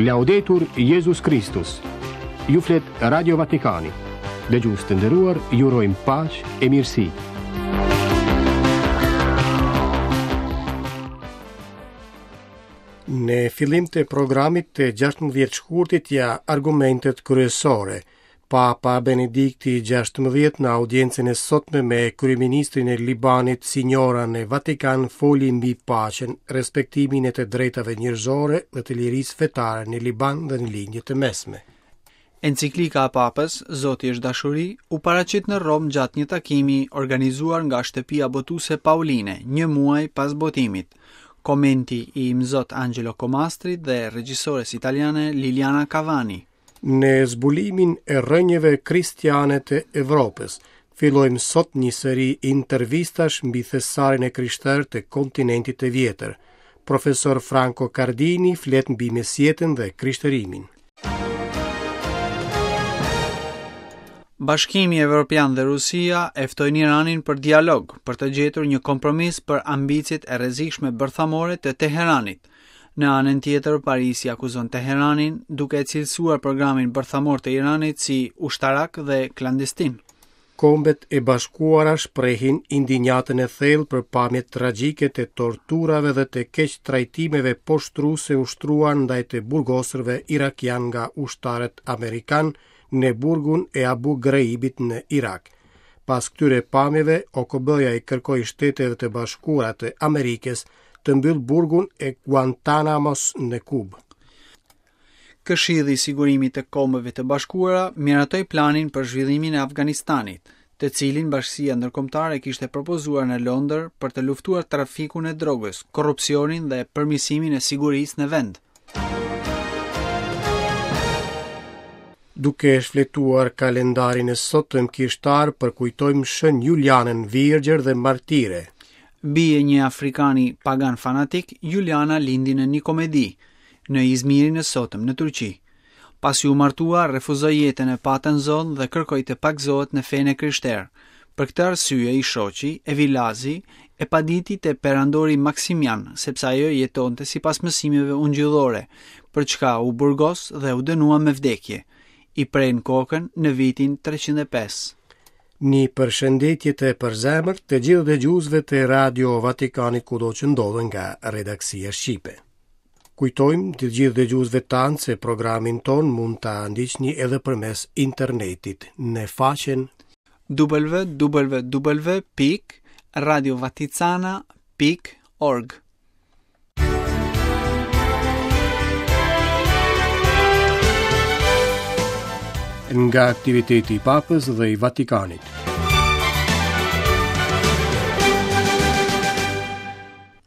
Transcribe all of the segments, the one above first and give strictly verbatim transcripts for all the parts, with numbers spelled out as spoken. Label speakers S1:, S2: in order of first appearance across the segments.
S1: Laudetur Jezus Kristus. Ju flet Radio Vatikani. Dëgjues të nderuar, ju urojmë paqe e mirësi.
S2: Në fillim të programit të gjashtëmbëdhjetë shkurtit ja argumentet kryesore. Papa Benedikti gjashtëmbëdhjetë në audiencën e sotme me kryeministrin e Libanit Sinjora në Vatikan foli mbi paqen, respektimin e të drejtave njerëzore dhe të lirisë fetare në Liban dhe në Lindje të Mesme.
S3: Enciklika e Papës, Zoti është dashuri, u paraqit në Romë gjatë një takimi organizuar nga shtëpia botuese Pauline, një muaj pas botimit. Komenti i Imzot Angelo Comastrit dhe regjisores italiane Liliana Cavani.
S2: Në zbulimin e rrënjëve kristiane të Evropës, fillojmë sot një seri intervistash mbi thesarin e krishterë të kontinentit të vjetër. Profesor Franco Cardini flet mbi mesjetën dhe krishterimin.
S3: Bashkimi Evropian dhe Rusia e ftojnë Iranin për dialog, për të gjetur një kompromis për ambiciet e rrezikshme bërthamore të Teheranit. Në anën tjetër, Parisi akuzon Teheranin duke e cilësuar programin bërthamor të Iranit si ushtarak dhe klandestin.
S2: Kombet e Bashkuara shprehin indinjatën e thellë për pamjet tragjike të torturave dhe të keq trajtimeve poshtruese ushtruar ndaj të burgosurve irakian nga ushtarët amerikan në burgun e Abu Ghraibit në Irak. Pas këtyre pamjeve, O K B-ja i kërkoi Shteteve të Bashkuara të Amerikës të mbyll burgun e Guantanamos në Kubë.
S3: Këshilli i Sigurimit të Kombeve të Bashkuara miratoi planin për zhvillimin e Afganistanit, të cilin bashkësia ndërkombëtare kishte propozuar në Londër për të luftuar trafikun e drogës, korrupsionin dhe përmirësimin e sigurisë në vend.
S2: Duke shfletuar kalendarin e sotëm kishtar, përkujtojmë Shën Julianën Virgjër dhe Martire.
S3: Bie një afrikani pagan fanatik, Juliana lindi në Nikomedi, në Izmirin e sotëm në Turqi. Pasi u martua, refuzoi jetën e patën zonë dhe kërkoi të pagëzohet në fenë e krishterë. Për këtë arsye i shoqi, Evilazi, e paditi te perandori Maksimian, sepse ajo jetonte sipas mësimeve ungjillore, për çka u burgos dhe u dënua me vdekje. I prejnë kokën në vitin treqind e pesë.
S2: Një përshëndetje të përzemërt të gjithë dëgjuesve të Radio Vatikanit kudo që ndodhen nga redaksia shqipe. Kujtojmë të gjithë dëgjuesve tanë se programin ton mund ta ndiqni edhe përmes internetit në faqen
S3: w w w pikë radio vaticana pikë org.
S2: Nga aktiviteti i Papës dhe i Vatikanit.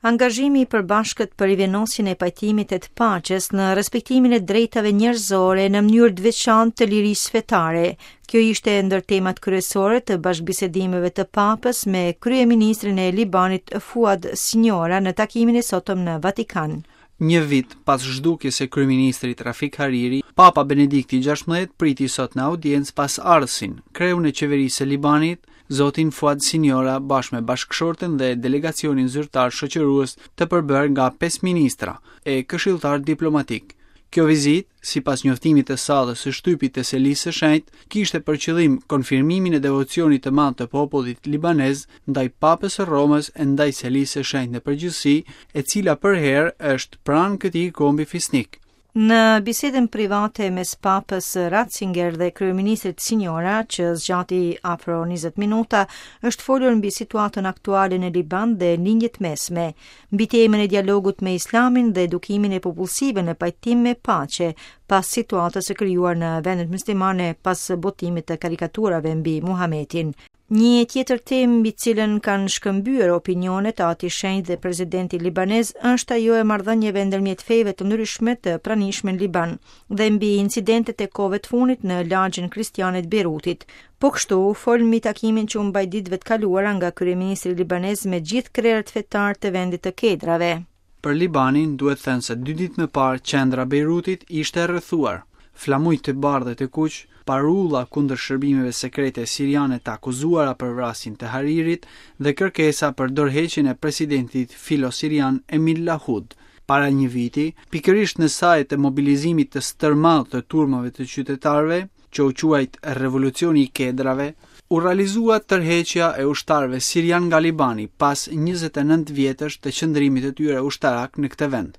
S4: Angazhimi i përbashkët për rivenosjen e pajtimit e të paqes në respektimin e drejtave njerëzore në mënyrë të veçantë të lirisë fetare. Kjo ishte ndër temat kryesore të bashkëbisedimeve të Papës me kryeministrin e Libanit Fuad Sinjora në takimin e sotëm në Vatikan.
S3: Një vit pas zhdukjes së kryeministrit Rafik Hariri, Papa Benedikti gjashtëmbëdhjetë priti sot në audiencë pas ardhësin, kreun e qeverisë së Libanit, zotin Fuad Sinjora, bashkë me bashkëshorten dhe delegacionin zyrtar shoqërues të përbërë nga pesë ministra e këshilltar diplomatik. Kjo vizitë, sipas njoftimit të sallës së shtypit të Selisë së Shenjtë, kishte për qëllim konfirmimin e devocionit të madh të popullit libanez ndaj Papës së Romës e ndaj Selisë së Shenjtë në përgjithësi, e cila përherë është pranë këtij kombi fisnik.
S4: Në bisedën private mes Papës Ratzinger dhe kryeministrit Sinjora, që zgjati afro njëzet minuta, është folur mbi situatën aktuale në Liban dhe lindjet mesme, mbi temën e dialogut me Islamin dhe edukimin e popullsive në pajtim me paqe, pas situatës së krijuar në vendet muslimane pas botimit të karikaturave mbi Muhametin. Një tjetër temë mbi cilën kanë shkëmbyer opinionet Ati Shenjt dhe presidenti libanez është ajo e marrëdhënieve ndërmjet feve të ndryshme të pranishme në Liban dhe mbi incidentet e kohëve të fundit në lagjen kristiane të Beirutit. Po kështu, fol mbi takimin që u mbajt ditëve të kaluara nga kryeministri libanez me gjithë krerët fetar të vendit të Kedrave.
S3: Për Libanin duhet thënë se dy ditë më parë qendra e Beirutit ishte e rrethuar. Flamuj të bardhë dhe të kuq, parulla kundër shërbimeve sekrete siriane të akuzuara për vrasjen të Haririt dhe kërkesa për dorëheqjen e presidentit filo-sirian Emil Lahud. Para një viti, pikërisht në sajë të mobilizimit të stërmadh të turmave të qytetarëve, që u quajt Revolucioni i Kedrave, u realizua tërheqja e ushtarëve sirian nga Libani pas njëzet e nëntë vjetësh të qëndrimit të tyre ushtarak në këtë vend.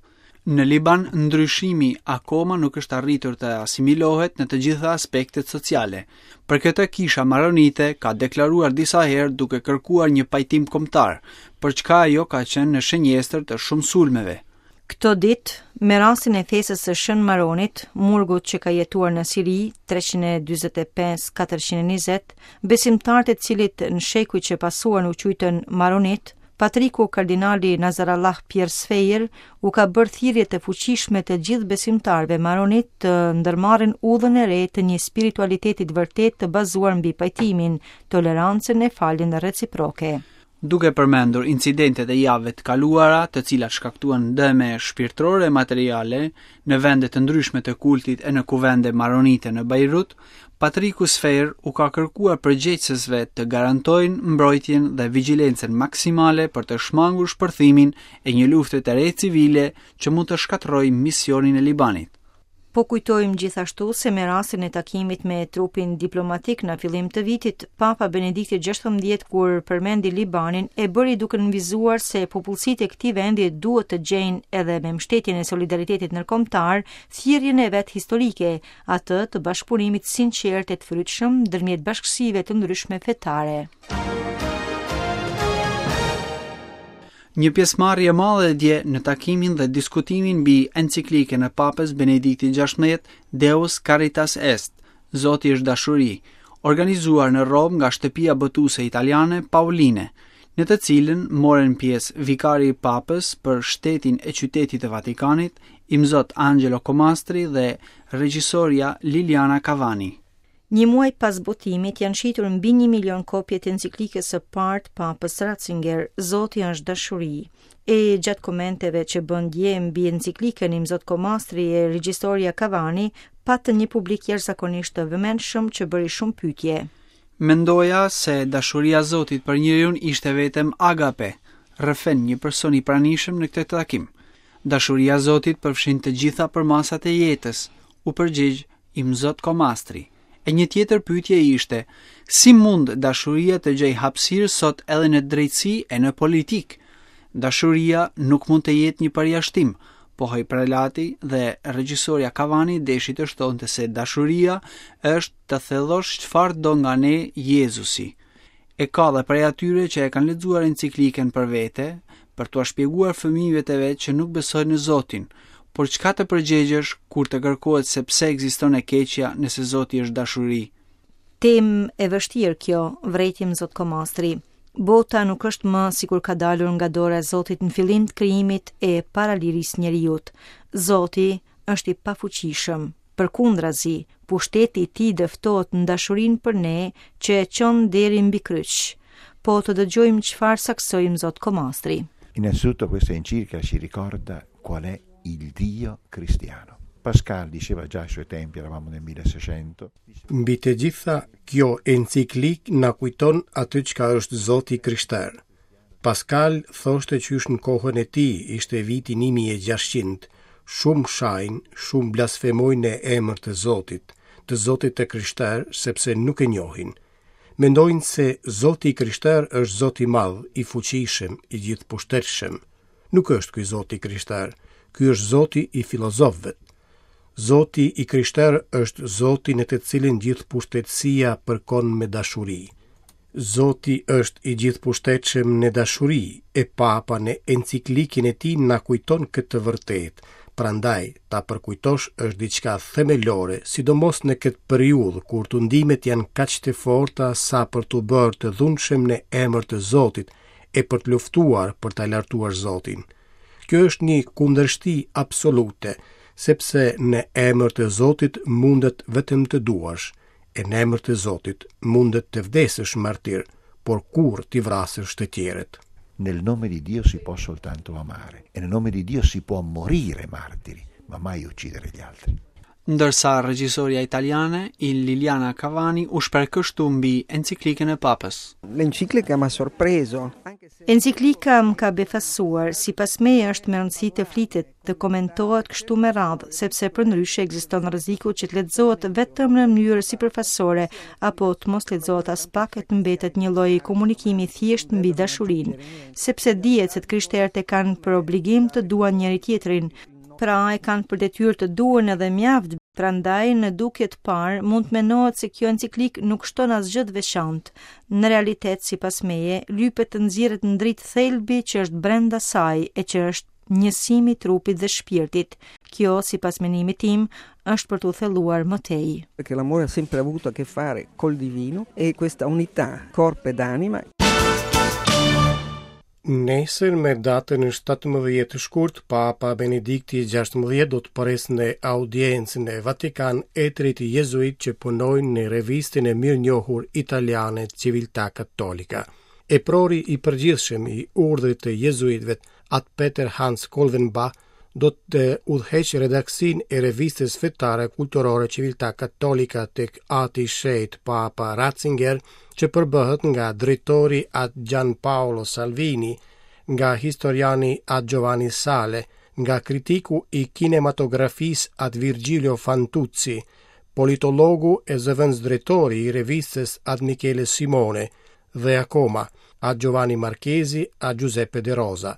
S3: Në Liban, ndryshimi akoma nuk është arritur të asimilohet në të gjitha aspektet sociale. Për këtë kisha maronite ka deklaruar disa herë duke kërkuar një pajtim kombëtar, për çka ajo ka qenë në shënjestër të shumë sulmeve.
S4: Këto ditë, me rastin e festës së Shën Maronit, murgut që ka jetuar në Siri treqind e dyzet e pesë katërqind e njëzet, besimtarët e cilit në shekuj që pasuan u quajtën Maronit, Patriku Kardinali Nazarallah Pierre Sfeir u ka bërë thirrje të fuqishme të gjithë besimtarëve maronit të ndërmarrin udhën e re të një spiritualiteti të vërtetë të bazuar mbi pajtimin, tolerancën e faljen reciproke.
S3: Duke përmendur incidentet e javëve të kaluara, të cilat shkaktuan dëme shpirtërore e materiale në vende të ndryshme të kultit e në kuvende maronite në Beirut, Patriku Sfeir u ka kërkuar përgjegjësve të garantojnë mbrojtjen dhe vigjilencën maksimale për të shmangur shpërthimin e një lufte të re civile që mund të shkatërrojë misionin e Libanit.
S4: Po kujtojmë gjithashtu se me rastin e takimit me trupin diplomatik në fillim të vitit, Papa Benedikti gjashtëmbëdhjetë kur përmendi Libanin e bëri duke nënvizuar se popullsitë e këtij vendi duhet të gjejnë edhe me mbështetjen e solidaritetit ndërkombëtar thirrjen e vet historike, atë të bashkëpunimit sinqert e të frytshëm ndërmjet bashkësive të ndryshme fetare.
S3: Një pjesëmarrje e madhe dje në takimin dhe diskutimin mbi enciklikën e Papës Benedikti gjashtëmbëdhjetë Deus Caritas Est, Zoti është dashuri, organizuar në Romë nga shtëpia botuese italiane Pauline, në të cilën morën pjesë vikari i Papës për shtetin e qytetit të Vatikanit, Imzot Angelo Comastri dhe regjisoria Liliana Cavani.
S4: Një muaj pas botimit janë shitur mbi një milion kopje të enciklikës së parë të Papës Ratzinger, Zoti është dashuri. E gjatë komenteve që bën dje mbi enciklikën Imzot Comastri e regjisoria Cavani, patën një publik jashtëzakonisht të vëmendshëm që bëri shumë pyetje.
S3: Mendoja se dashuria e Zotit për njeriun ishte vetëm agape, rrëfen një person i pranishëm në këtë takim. Dashuria e Zotit përfshin të gjitha përmasat e jetës, u përgjigj Imzot Comastri. E një tjetër pyetje ishte, si mund dashuria të gjejë hapësirë sot edhe në drejtësi e në politikë? Dashuria nuk mund të jetë një përjashtim, pohoi prelati dhe regjisoria Cavani deshi të shtonte se dashuria është të thellosh çfarë do nga ne Jezusi. E ka dhe prej atyre që e kanë lexuar enciklikën për vete, për t'ua shpjeguar fëmijëve të vet që nuk besojnë në Zotin, por çka të përgjegjesh kur të kërkohet se pse ekziston e keqja nëse Zoti është dashuri?
S4: Temë e vështirë kjo, vrejti Imzot Comastri. Bota nuk është më sikur ka dalur nga dora e Zotit në fillim të krijimit e para lirisë njeriut. Zoti është i pafuqishëm. Përkundrazi, pushteti i tij dëftohet në dashurinë për ne që e çon deri mbi kryq. Po të dëgjojmë çfarë saksoi Imzot Comastri.
S5: Innanzitutto questa enciclica ci ricorda qual è il Dio cristiano. Pascal diceva già ai suoi tempi, eravamo nel milleseicento.
S2: Mbi të gjitha, kjo enciklik na kujton atë çka është Zoti i krishter. Pascal thoshte qysh në kohën e tij, ishte viti një mijë e gjashtëqind, shumë shajnë, shumë blasfemojnë në emër të Zotit, të Zotit të krishter, sepse nuk e njohin. Mendojnë se Zoti i krishter është Zoti i madh, i fuqishëm, i gjithëpushtetshëm. Nuk është ky Zoti i krishter, ky është Zoti i filozofëve. Zoti i krishter është Zoti në të cilin gjithëpushtetësia përkon me dashuri. Zoti është i gjithëpushtetshëm në dashuri, e Papa në enciklikin e tij na kujton këtë të vërtetë. Prandaj, ta përkujtosh është diçka themelore, sidomos në këtë periudhë kur tundimet janë kaq të forta sa për t'u bërë të dhunshëm në emër të Zotit e për të luftuar për ta lartuar Zotin. Kjo është një kundërshti absolute, sepse në emër të Zotit mundet vetëm të duash, e në emër të Zotit mundet të vdesësh martir, por kurrë t'i vrasësh të tjerët.
S5: Nel nome di Dio si può soltanto amare e nel nome di Dio si può morire martiri, ma mai uccidere gli altri.
S3: Ndërsa regjisoria italiane il Liliana Cavani u shpreh kështu mbi enciklikën e Papës.
S6: L'enciclica m'ha sorpreso.
S4: Enciklika më ka befasuar, sipas meje është me rëndësi të flitet, të komentohet kështu me radhë, sepse përndryshe ekziston rreziku që të lexohet vetëm në mënyrë sipërfaqësore apo të mos lexohet as pak e të mbetet një lloj komunikimi thjesht mbi dashurinë, sepse dihet se të krishterët e kanë për obligim të duan njëri tjetrin, pra e kanë për detyrë të duan edhe mjaft. Prandaj në dukje të parë mund të mendohet se kjo enciklik nuk shton asgjë të veçantë. Në realitet, sipas meje, lypet të nxirret në dritë thelbi që është brenda saj e që është njësimi i trupit dhe shpirtit. Kjo, sipas menimit tim, është për t'u thelluar më tej.
S6: Perché l'amore ha sempre avuto a che fare col divino e questa unità corpo ed anima.
S2: Nesër me datën shtatëmbëdhjetë shkurt, Papa Benedikti gjashtëmbëdhjetë do të presë në audiencë në Vatikan etrit jezuit që punojnë në revistën e mirënjohur italiane Civiltà Cattolica. Eprori i përgjithshëm i urdhrit të jezuitëve, At Peter Hans Kolvenbach, do të udhëheqë redaksinë e revistës fetare kulturore Civiltà Cattolica tek Ati Shenjt Papa Ratzinger, që përbëhet nga drejtori At Gian Paolo Salvini, nga historiani At Giovanni Sale, nga kritiku i kinematografisë At Virgilio Fantuzzi, politologu e zëvendësdrejtori i revistës At Michele Simone dhe akoma At Giovanni Marchesi, At Giuseppe De Rosa.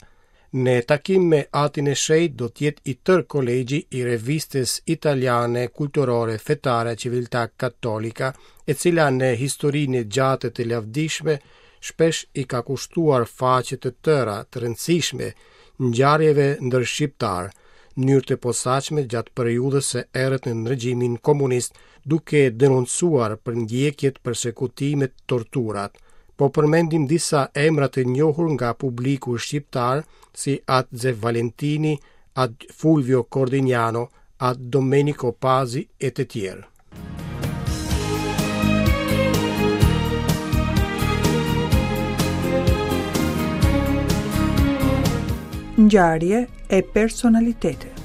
S2: Në takim me Atin e Shenjtë do të jetë i tërë kolegji i revistës italiane kulturore fetare Civiltà Cattolica, e cila në historinë e gjatë të lavdishme shpesh i ka kushtuar faqe të tëra të rëndësishme ngjarjeve ndër shqiptar, në mënyrë të posaçme gjatë periudhës së errët në regjimin komunist, duke denoncuar përndjekjet, persekutimet, torturat. Po përmendim disa emra të njohur nga publiku shqiptar, si At Zef Valentini, At Fulvio Cordignano, At Domenico Pazi e të tjerë.
S7: Ngjarje e personalitete.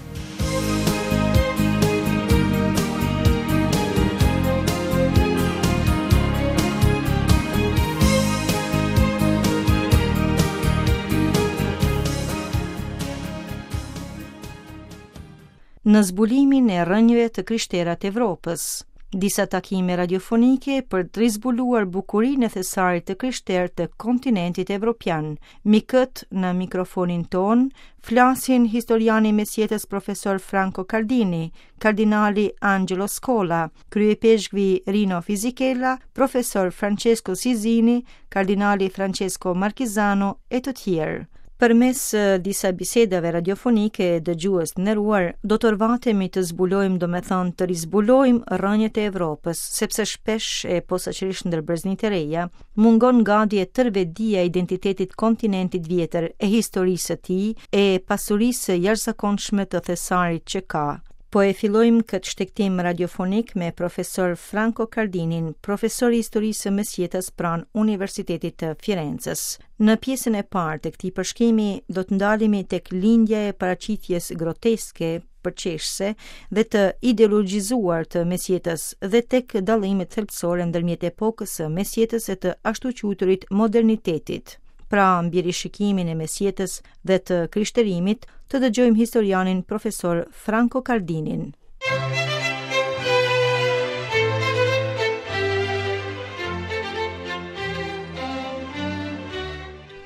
S4: Në zbulimin e rrënjëve të krishtera të Evropës, disa takime radiofonike për të rizbuluar bukurinë e thesarit të krishterë të kontinentit evropian. Mikët në mikrofonin ton flasin historiani mesjetës profesor Franco Cardini, kardinali Angelo Scola, kryepeshkvi Rino Fisichella, profesor Francesco Sizini, kardinali Francesco Marchisano e të tjerë. Përmes disa bisedave radiofonike dëgjues të nderuar, do të orvatemi të zbulojmë, domethënë të rizbulojmë rrënjët e Evropës, sepse shpesh e posaçërisht ndër breznitë e reja, mungon gati e tërë vetëdija e identitetit kontinentit vjetër, e historisë së tij, e pasurisë së jashtëzakonshme të thesarit që ka. Po e fillojmë këtë shtegtim radiofonik me profesor Franco Cardinin, profesor i historisë së mesjetës pranë Universitetit të Firences. Në pjesën e parë të këtij përshkrimi do të ndalemi tek lindja e paraqitjes groteske, përqeshëse dhe të ideologjizuar të mesjetës dhe tek dallimet thelbësore ndërmjet epokës së mesjetës e të ashtuquajturit modernitetit. Pra, mbi rishikimin e mesjetës dhe të krishterimit, të dëgjojmë historianin profesor Franco Cardinin.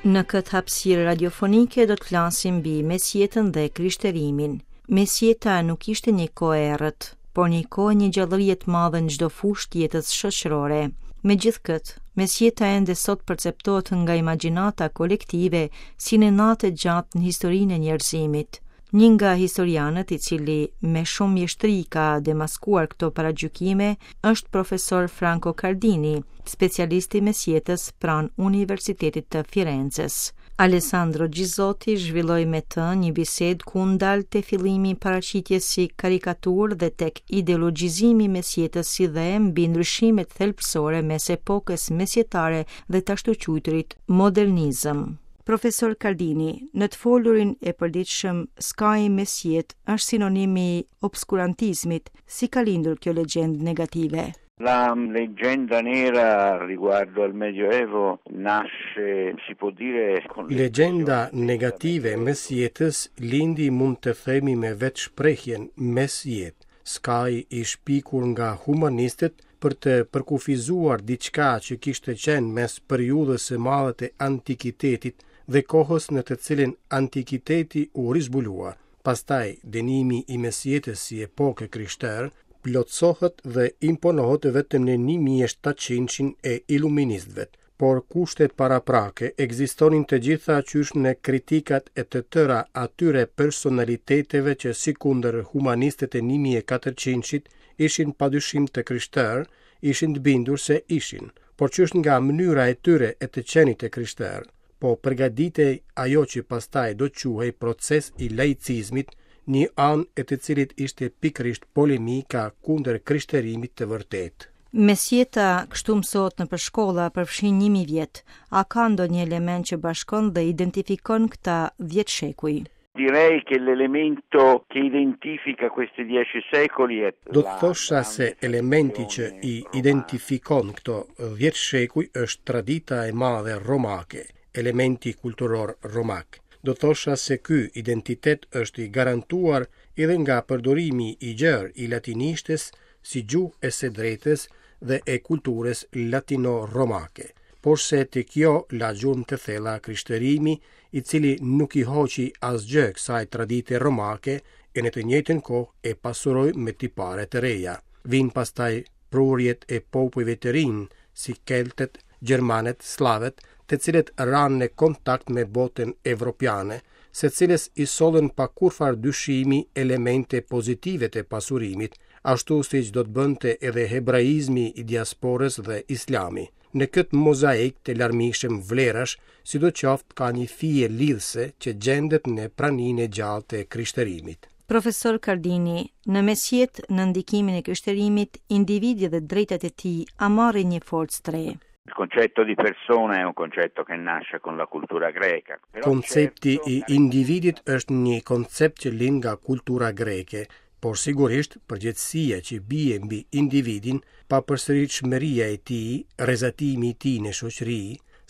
S4: Në këtë hapësirë radiofonike do të flasim mbi mesjetën dhe krishterimin. Mesjeta nuk ishte një kohë e errët, por një kohë një gjallërie të madhe në çdo fushë të jetës shoqërore. Megjithkëtë, mesjeta ende sot perceptohet nga imagjinata kolektive si një natë e gjatë në historinë e njerëzimit. Një nga historianët i cili me shumë mjeshtri ka demaskuar këto paragjykime është profesor Franco Cardini, specialist i mesjetës pranë Universitetit të Firences. Alessandro Ghisotti zhvilloi me të një bisedë ku ndal te fillimi i paraqitjes si karikaturë dhe tek ideologjizimi i mesjetës si dhe mbi ndryshimet thelbësore mes epokës mesjetare dhe të ashtuquajturit modernizëm. Profesor Cardini, në të folurin e përditshëm, skaji mesjetë është sinonim i obskurantizmit. Si ka lindur kjo legjendë negative?
S8: La leggenda nera riguardo al Medioevo nasce, si può dire, con
S2: Legjenda negative e mesjetës lindi mund të themi me vetë shprehjen mesjetë, skaj i shpikur nga humanistët për të përkufizuar diçka që kishte qenë mes periudhës së madhe të antikitetit dhe kohës në të cilën antikiteti u rizbulua. Pastaj, dënimi i mesjetës si epokë krishterë plotësohet dhe imponohet vetëm në një mijë e shtatëqind e iluministëve, por kushtet paraprake ekzistonin të gjitha qysh në kritikat e të tëra atyre personaliteteve që sikundër humanistët e një mijë e katërqindit ishin padyshim të krishterë, ishin të bindur se ishin, por qysh nga mënyra e tyre e të qenit të krishterë, po përgatitej ajo që pastaj do quhej proces i laicizmit, një anë e të cilit ishte pikërisht polemika kundër krishterimit të vërtetë.
S4: Mesjeta kështu mësohet nëpër shkolla përfshin një mijë vjet. A ka ndonjë element që bashkon dhe identifikon këta dhjetë shekuj?
S8: Direi che l'elemento che identifica questi dieci secoli è
S2: Do të thosha se elementi që i identifikon këto dhjetë shekuj është tradita e madhe romake, elementi kulturor romak. Do thosha se ky identitet është i garantuar edhe nga përdorimi i gjerë i latinishtes si gjuhë e së drejtës dhe e kulturës latino-romake. Por se te kjo la gjurmë të thella krishterimi, i cili nuk i hoqi asgjë kësaj tradite romake e në të njëjtën kohë e pasuroi me tipare të reja. Vijnë pastaj prurjet e popujve të rinj, si keltët, gjermanët, sllavet, të cilët ranë në kontakt me botën evropiane, se cilës i sollën pa kurrfar dyshimi elemente pozitive të pasurimit, ashtu siç do të bënte edhe hebraizmi i diasporës dhe islami. Në këtë mozaik të larmishëm vlerash, sidoqoftë ka një fije lidhëse që gjendet në praninë e gjallë të krishterimit.
S4: Profesor Cardini, në mesjetë në ndikimin e krishterimit, individi dhe drejtat e tij a marrin një forcë të re?
S8: Il concetto di persona è un concetto che nasce con la cultura greca. Però
S2: Koncepti
S8: certo,
S2: i individit është një koncept që lind nga kultura greke, por sigurisht përgjegjësia që bie mbi individin, papërsëritshmëria e tij, rrezatimi i tij në shoqëri,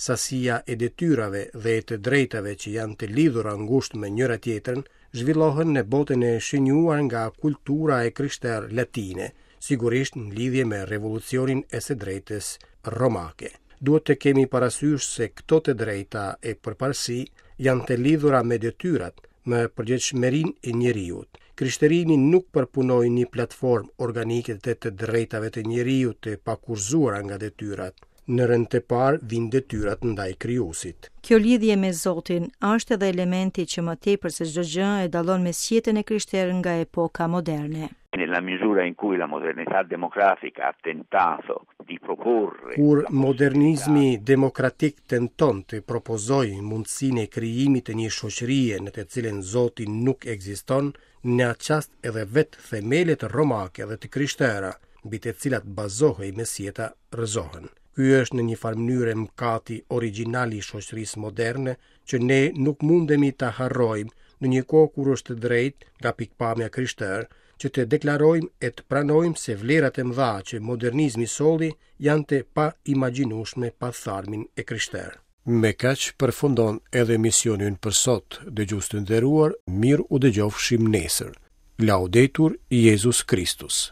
S2: sasia e detyrave dhe e të drejtave që janë të lidhura ngushtë me njëra tjetrën, zhvillohen në botën e shënjuar nga kultura e krishterë latine, sigurisht në lidhje me revolucionin e së drejtës romake. Duhet të kemi parasysh se këto të drejta e përparësi janë të lidhura me detyrat, me përgjegjshmërinë e njeriut. Krishterimi nuk përpunoi një platformë organike të të drejtave të njeriut të pakurzuara nga detyrat. Në rend të parë vijnë detyrat ndaj krijuesit.
S4: Kjo lidhje me Zotin është edhe elementi që më tepër se çdo gjë e dallon mesjetën e krishterë nga epoka moderne.
S8: Nella misura in cui la modernità democratica ha tentato di proporre
S2: Kur modernizmi demokratik tenton të propozojë mundësinë e krijimit të një shoqërie në të cilën Zoti nuk ekziston, në atë çast edhe vetë themelet romake dhe të krishtera, mbi të cilat bazohej mesjeta, rrëzohen. Ky është në një farë mënyre mëkati origjinal i shoqërisë moderne që ne nuk mundemi ta harrojmë në një kohë kur është drejt nga pikpamja krishterë që të deklarojmë e të pranojmë se vlerat e mëdha që modernizmi solli janë të paimagjinueshme pa tharmin e krishterë. Me kaq përfundon edhe emisioni ynë për sot. Dëgjues të nderuar, mirë u dëgjofshim nesër. Laudetur Jezus Kristus.